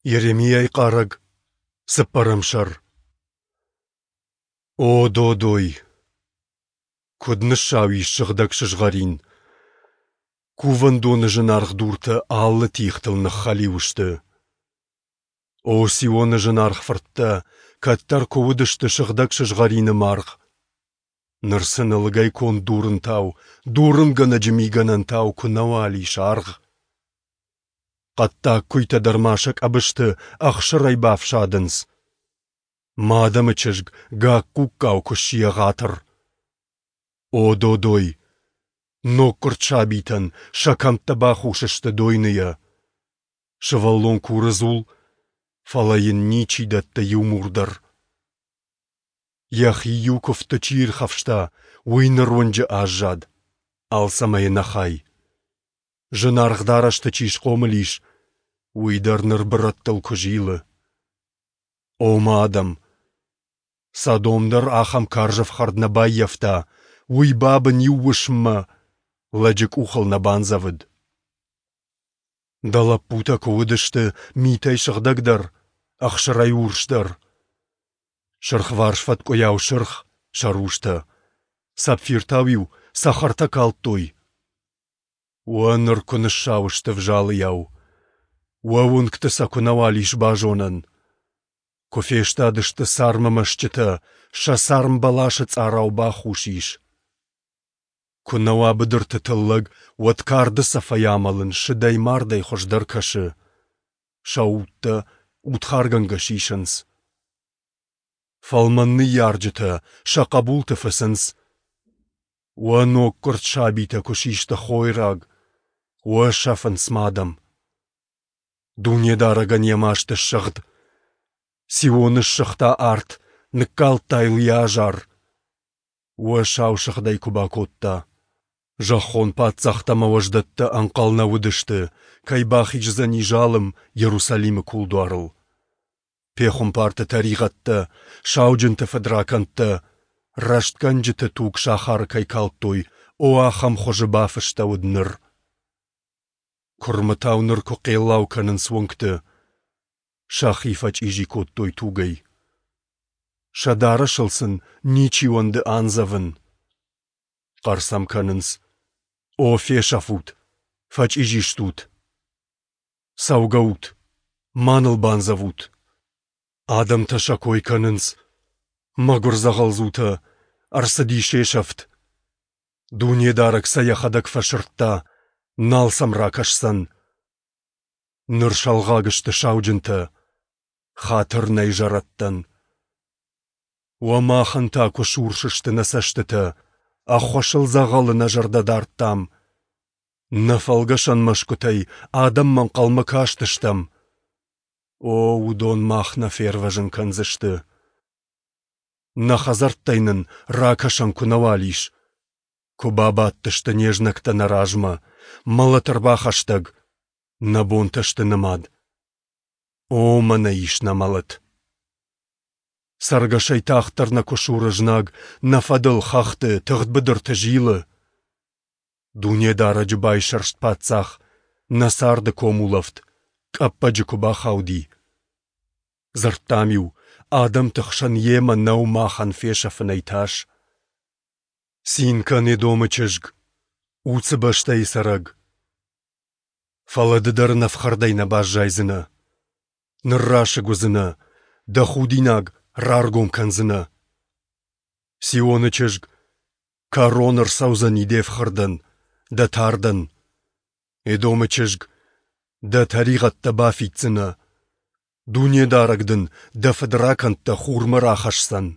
Йеремиайы хъарӕг, цыппӕрӕм сӕр. О, додой! Куыд ныссау ис сыгъдӕг сызгъӕрин! Кувӕндоны зынаргъ дуртӕ алы тигътыл ныххӕлиу сты. О, Сионы зынаргъ фырттӕ, кӕддӕр куы уыдысты сыгъдӕг сызгъӕрины маргъ! Ныр сын ӕлыгӕй конд дурынтау, дурынгӕнӕджы мигӕнӕнтау куы нӕуал ис аргъ! Хъӕддаг куыйтӕ дӕр ма сӕ къӕбысты ӕхсырӕй бафсадынц. Мӕ адӕмы чызг гакк-гуккау куы сси ӕгъатыр. О, додой! Ноггуырд сабитӕн сӕ кӕмттӕ бахус сты дойныйӕ. Сывӕллон куры дзул, фӕлӕ йын ничи дӕтты иу мур дӕр. Йӕхи иу куывдты чи ирхӕфста, уый ныр уынджы аззад, алцӕмӕй ӕнӕхай. Зынаргъ дарӕсты чи схъомыл ис, уый дӕр ныр бырӕттыл куы зилы. О, мӕ адӕм! Содом дӕр ахӕм карз ӕфхӕрд нӕ баййӕфта, уый бабын иу уысммӕ, лӕджы къухыл нӕ бандзӕвыд. Дӕ лӕппутӕ куы уыдысты митӕй сыгъдӕгдӕр, ӕхсырӕй урсдӕр. Сырхварс фӕткъуыйау сырх сӕ рустӕ, сапфиртау-иу цӕхӕртӕ калдтой. Уӕ ныр куы ныссау сты взалыйау, уӕ уынгты сӕ куы нӕуал ис базонӕн. Куы фестадысты цармы мӕсчъытӕ, сӕ царм бӕласы цъарау бахус ис. Куы нӕ уа быдырты тыллӕг, уӕд карды цӕфӕй амӕлын сыдӕй-мардӕй хуыздӕр кӕсы. Сӕ удтӕ удхаргӕнгӕ сисынц. Фӕлмӕн ныййарджытӕ сӕ хъӕбулты фыцынц. Уӕ ноггуырд сабитӕ куы систы хойраг, уӕ сӕфынц мӕ адӕм. Дунедарӕгӕн йӕ маст ссыгъд. Сионы ссыгъта арт, ныккалдта йыл йӕ азар. Уӕ сау сыгъдӕй куы бакодта. Зӕххон паддзӕхтӕ ӕмӕ уӕздӕттӕ ӕнхъӕл нӕ уыдысты, кӕй бахиздзӕни залым Иерусалимы кулдуарыл. Пехуымпарты тӕригъӕдтӕ, сауджынты фыдракӕндтӕ, рӕстгӕнджыты туг сахары кӕй калдтой, о, ахӕм хуызы бафыстӕуыд ныр. Куырмытау ныр куы хъеллау кӕнынц уынгты, сӕхи фӕчъизи кодтой тугӕй. Сӕ дарӕсыл сын ничи уӕнды андзӕвын. Хъӕр сӕм кӕнынц: «О, фесӕфут! Фӕчъизи стут! Цӕугӕут! Ма ныл бандзӕвут!» Адӕмтӕ сӕ кой кӕнынц: «Мӕгуыр дзӕгъӕлдзутӕ, ӕрцыди се сӕфт!» Дунедарӕг сӕ йӕхӕдӕг фӕсырдта, нал сӕм ракӕсдзӕн. Ныр сӕлгъаг сты сауджынтӕ, хатыр нӕй зӕрӕдтӕн. Уӕ махӕн та куы сурс сты нӕ цӕстытӕ, ӕххуысыл дзӕгъӕлы нӕ зӕрдӕ дардтам. Нӕ фӕлгӕсӕн мӕсгуытӕй адӕммӕ ӕнхъӕлмӕ кастыстӕм. О, уыдон мах нӕ фервӕзын кӕндзысты. Нӕ хӕдзӕрттӕй нын ракӕсӕн куы нӕуал ис, куы бабадтысты не знӕгтӕ нӕ размӕ, мӕлӕт ӕрбахӕстӕг, нӕ бонтӕ сты нымад. О, мӕнӕ ис нӕ мӕлӕт! Цӕргӕсӕй тагъддӕр нӕ куы суры знаг, нӕ фӕдыл хӕхты, тыгъд быдырты зилы. Дунедарӕджы байсӕрст паддзах, нӕ царды комулӕфт, къӕппӕджы куы бахауди. Дзырдтам-иу, адӕмты хсӕн йемӕ нӕу махӕн фесӕфынӕй тас. Цин кӕн, Едомы чызг, Уцы бӕстӕйы цӕрӕг. Фӕлӕ ды дӕр ӕнӕфхӕрдӕй нӕ баззайдзынӕ. Ныррасыг уыдзынӕ, дӕ худинаг раргом кӕндзынӕ. Сионы чызг, кӕрон ӕрцӕудзӕни де фхӕрдӕн, дӕ тардӕн. Едомы чызг, дӕ тӕригъӕдтӕ бафиддзынӕ. Дунедарӕг дын дӕ фыдракӕндтӕ хурмӕ рахӕсдзӕн.